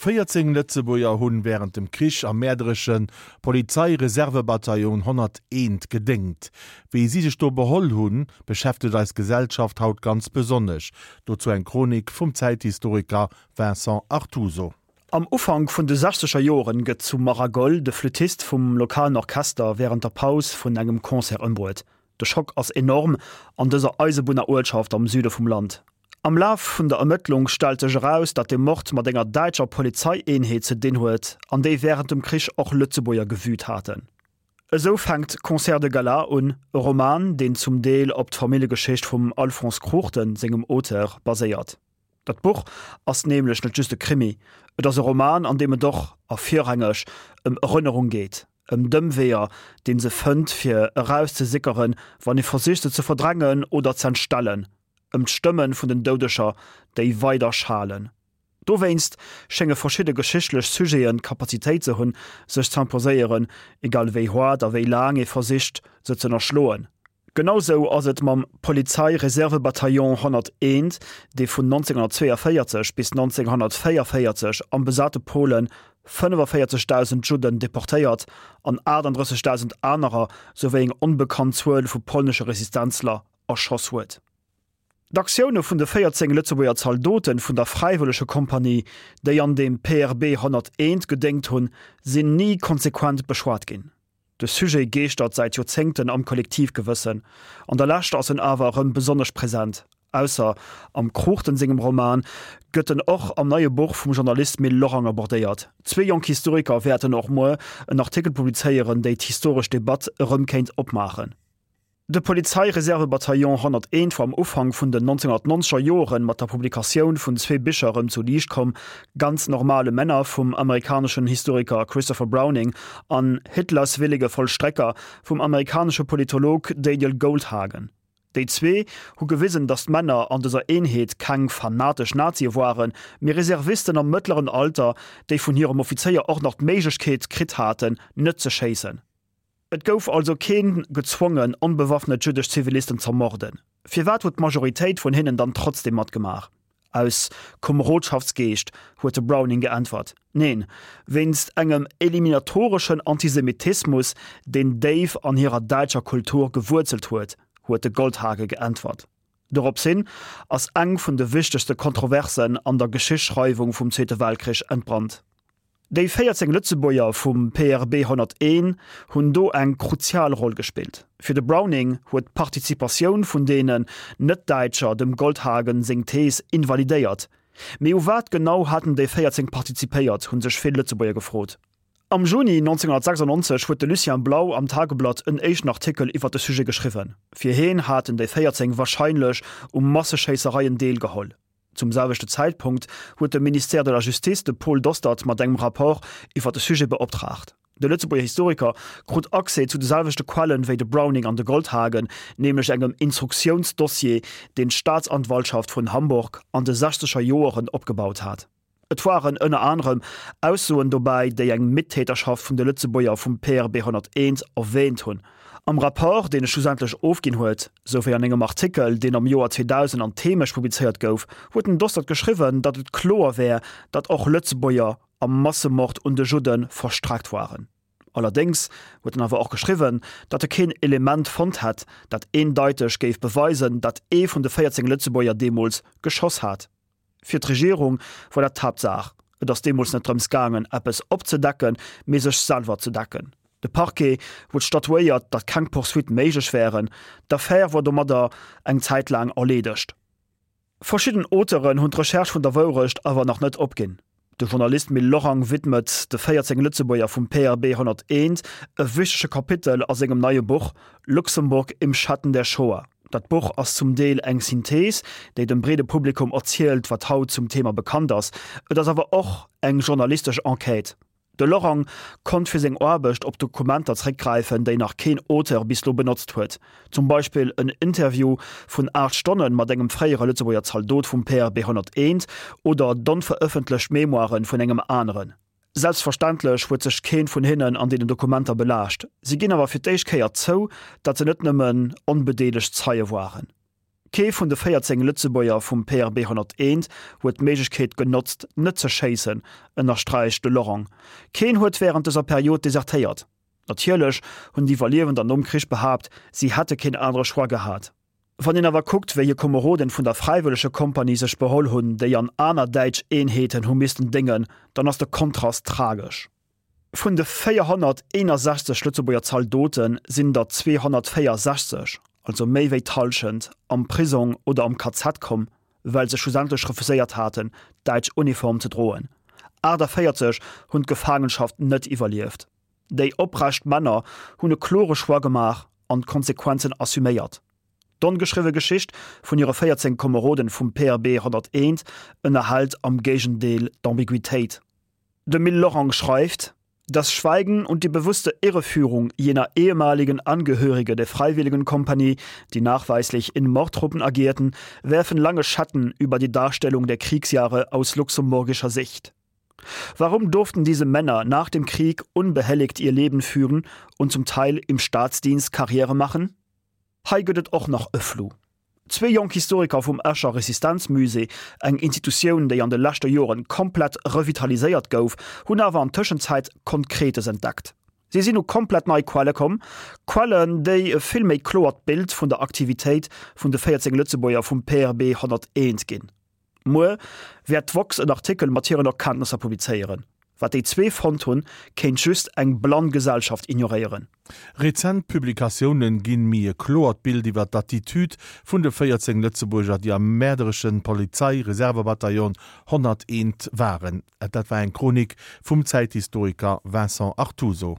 14 Lëtzebuerger hunn wärend dem Krich am mäerderesche Polizeireservebataillon 101 gedéngt. Wéi si sech do beholl hunn, beschäftegt eis Gesellschaft haut ganz besonnesch. Dozou eng Chronik vum Zäithistoriker Vincent Artuso. Am Ufank vun de sechzeger Joren gëtt zu Maragol de Flüttist vum lokalen Orchester wärend der Paus vun engem Concert ëmbruet. De Schock ass enorm an dëser Eisebunneruertschaft am Süde vum Land. Am Laf vun der Ermëttlung stellt sech eraus, datt de Mord mat enger däitscher Polizeieenheet ze dinn huet, an déi wärend dem Krich och Lëtzebuerger gewüt haten. Esou fänkt Concert de Gala un, e Roman, deen zum Deel op d'Familljegeschicht vum Alphonse Cruchten sengem Auteur baséiert. Dat Buch ass nämlech net just e Krimi, et ass e Roman, an deem et och, a virrangeg, ëm Erënnerung geet, ëm d'Ëmweeër, dee se fënnt, fir erauszesickeren, wann ee versicht, se ze verdrängen oder z'entstellen, ëm d'Stëmme vun den Doudeger, déi weider schalen. Dowéinst schénge verschidde geschichtlech Sujeten d'Kapazitéit ze hunn, sech z'imposéieren, egal wéi haart a wéi laang ee versicht, se z'ënnerschloen. Genau sou ass et mam Polizei-Reserve-Bataillon 101, dee vun 1942 bis 1944 am besate Polen 45.000 Judden deportéiert an 38.000 anerer souwéi eng onbekannt Zuel vu polnesche Resistenzler erschoss huet. D'Aktioune vun de 14 Lëtzebuerger Zaldote vun der Fräiwëllegekompanie, déi an dem PRB 101 gedéngt hunn, sinn ni konsequent beschwat ginn. De Sujet geeschtert säit Joerzéngten am Kollektivgewëssen. An der Lescht ass en awer erëm besonnesch present. Ausser am Cruchten sengem Roman gëtt en och am neie Buch vum Journalist Mil Lorang abordéiert. Zwee jonk Historiker wäerten och muer en Artikel publizéieren, déi d'historesch Debatt erëm kéint opmaachen. De Polizeireservebataillon 101 war am Ufank vun den 1990er Joren mat der Publikatioun vun zwee Bicher erëm zu Liicht komm, Ganz normale Männer vum amerikaneschen Historiker Christopher Browning an Hitlers willige Vollstrecker vum amerikanesche Politolog Daniel Goldhagen. Déi zwee hu gewisen, datt d'Männer an dëser Eenheet keng fanatesch Nazie waren, mee Reservisten am mëttleren Alter, déi vun hirem Offizéier och nach d'Méiglechkeet kritt haten, net ze schéissen. Et gouf also keen gezwongen, onbewaffnet jüddesch Zivilisten z'ermorden. Firwat huet d'Majoritéit vun hinnen dann trotzdem matgemaach? Aus Komerodschaftsgeescht, huet de Browning geäntwert. Neen, wéinst engem eliminatoreschen Antisemitismus, deen déif an hirer däitscher Kultur gewuerzelt huet, huet de Goldhage geäntwert. Doropshin ass eng vun de wichtegste Kontroversen an der Geschichtsschreiwung vum Zweete Weltkrich entbrannt. Déi 14 Lëtzebuerger vum PRB 101 hunn do eng kruzial Roll gespillt. Fir de Browning huet d'Participatioun vun deenen Net-Däitscher dem Goldhagen seng Thees invalidéiert. Mee u wat genau haten déi 14 participéiert, hu sech vill Lëtzebuerger gefrot. Am Juni 1996 huet de Lucien Blau am Tageblatt en éischten Artikel iwwer de Sujet geschriwwen. Fir heen haten déi 14 warscheinlech u Masseschéissereien deelgeholl. Zum selwechte Zäitpunkt huet de Ministère de la Justice de Paul Dostert mat engem Rapport iwwer de Sujet beoptraagt. De Lëtzebuerger Historiker krut Accès zu de selwechte Quellen wéi de Browning an de Goldhagen, nämlech engem Instruktiounsdossier, deen d'Staatsanwaltschaft vun Hamburg an de sechzeger Joeren opgebaut hat. Et waren ënner anerem Aussoen dobäi, déi eng Mittäterschaft vun de Lëtzebuerger vum PRB 101 erwäänt hunn. Am Rapport, deen e schlussendlech ofginn huet, sou wéi an engem Artikel, deen am Joer 2000 an Themesch publizéiert gouf, huet den Dostert geschriwwen, datt et kloer wär, datt och Lëtzebuerger am Massemord un de Judde verstreckt waren. Allerdéngs huet en awer och geschriwwen, datt e keen Element fonnt hätt, dat eendeiteg géif beweisen, datt ee vun de 14 Lëtzebuerger deemools geschoss hat. Fir d'Regierung war dat d'Haaptsaach. Et ass deemools net drëms gaangen, eppes opzedecken, mee sech selwer ze decken. De Parquet huet statuéiert, datt keng Poursuitte méiglech wären. D'Affär war domadder eng Zäit laang erleedegt. Verschidden Auteuren hunn d'Recherche vun der Wourecht awer nach net opginn. De Journalist Mil Lorang widmet de 14 Lëtzebuerger vum PRB 101 e wichtege Kapitel a sengem neie Buch Luxemburg im Schatten der Shoah. Dat Buch ass zum Deel eng Synthees, déi dem breede Publikum erzielt, wat haut zum Thema bekannt ass. Et ass awer och eng journalistesch Enquête. De Lorang konnt fir seng Aarbecht op Dokumenter zréckgräifen, déi nach keen Auteur bis lo benotzt huet. Zum Beispill en Interview vun 8 Stonne mat engem fréiere Lëtzebuerger Zaldot vum PRB 101 oder d'onverëffentlecht Memoiren vun engem aneren. Selbstverständlech huet sech keen vun hinnen an deenen Dokumenter belaascht. Si ginn awer fir d'éischt Kéier zou, datt se net nëmmen onbedeelegt Zeie waren. Kee vun de 14 Lëtzebuerger vum PRB 101 huet d'Méiglechkeet genotzt, net ze schéissen, ënnersträicht de Lorang. Keen huet wärend dëser Period desertéiert. Natierlech hunn d'Iwwerliewender nom Krich behaapt, si hätte keen anere Choix gehat. Wann een awer kuckt, wéi hir Komeroden vun der Fräiwëllegekompanie sech beholl hunn, déi an aner däitsch Eenheeten hu missten déngen, dann ass de Kontrast tragesch. Vun de 461 Lëtzebuerger Zaldote sinn der 264, also méi wéi d'Hallschent, am Prisong oder am KZ komm, well se schlussendlech refuséiert haten, d'däitsch Uniform ze droen. 48 hunn d'Gefaangenschaft net iwwerlieft. Déi oprecht Männer hunn e klore Choix gemaach an d'Konsequenzen assuméiert. D'ongeschriwwe Geschicht vun hire 14 Komeroden vum PRB 101 ënnerhält am Géigendeel d'Ambiguitéit. De Mil Lorang schreift: Das Schweigen und die bewusste Irreführung jener ehemaligen Angehörige der Freiwilligenkompanie, die nachweislich in Mordtruppen agierten, werfen lange Schatten über die Darstellung der Kriegsjahre aus luxemburgischer Sicht. Warum durften diese Männer nach dem Krieg unbehelligt ihr Leben führen und zum Teil im Staatsdienst Karriere machen? Hei gëtt et och nach e Flou. Zwee jonk Historiker vum Escher Resistenzmusée, eng Institutioun, déi an de leschte Joren komplett revitaliséiert gouf, hunn awer an Tëschenzäit Konkretes entdeckt. Si sinn u komplett nei Quelle komm, Quellen, déi e vill méi kloert Bild vun der Aktivitéit vun de 14 Lëtzebuerger vum PRB 101 ginn. Muer wäert d'woxx en Artikel mat hiren Erkenntnesser publizéieren. Wat déi zwee fonnt hunn, kéint just eng blann Gesellschaft ignoréieren. Rezent Publikatiounen ginn méi e kloert Bild iwwer d'Attitude vun de 14 Lëtzebuerger, déi am mäerdereschen Polizei-Reservebataillon 101 waren. Dat war eng Chronik vum Zäithistoriker Vincent Artuso.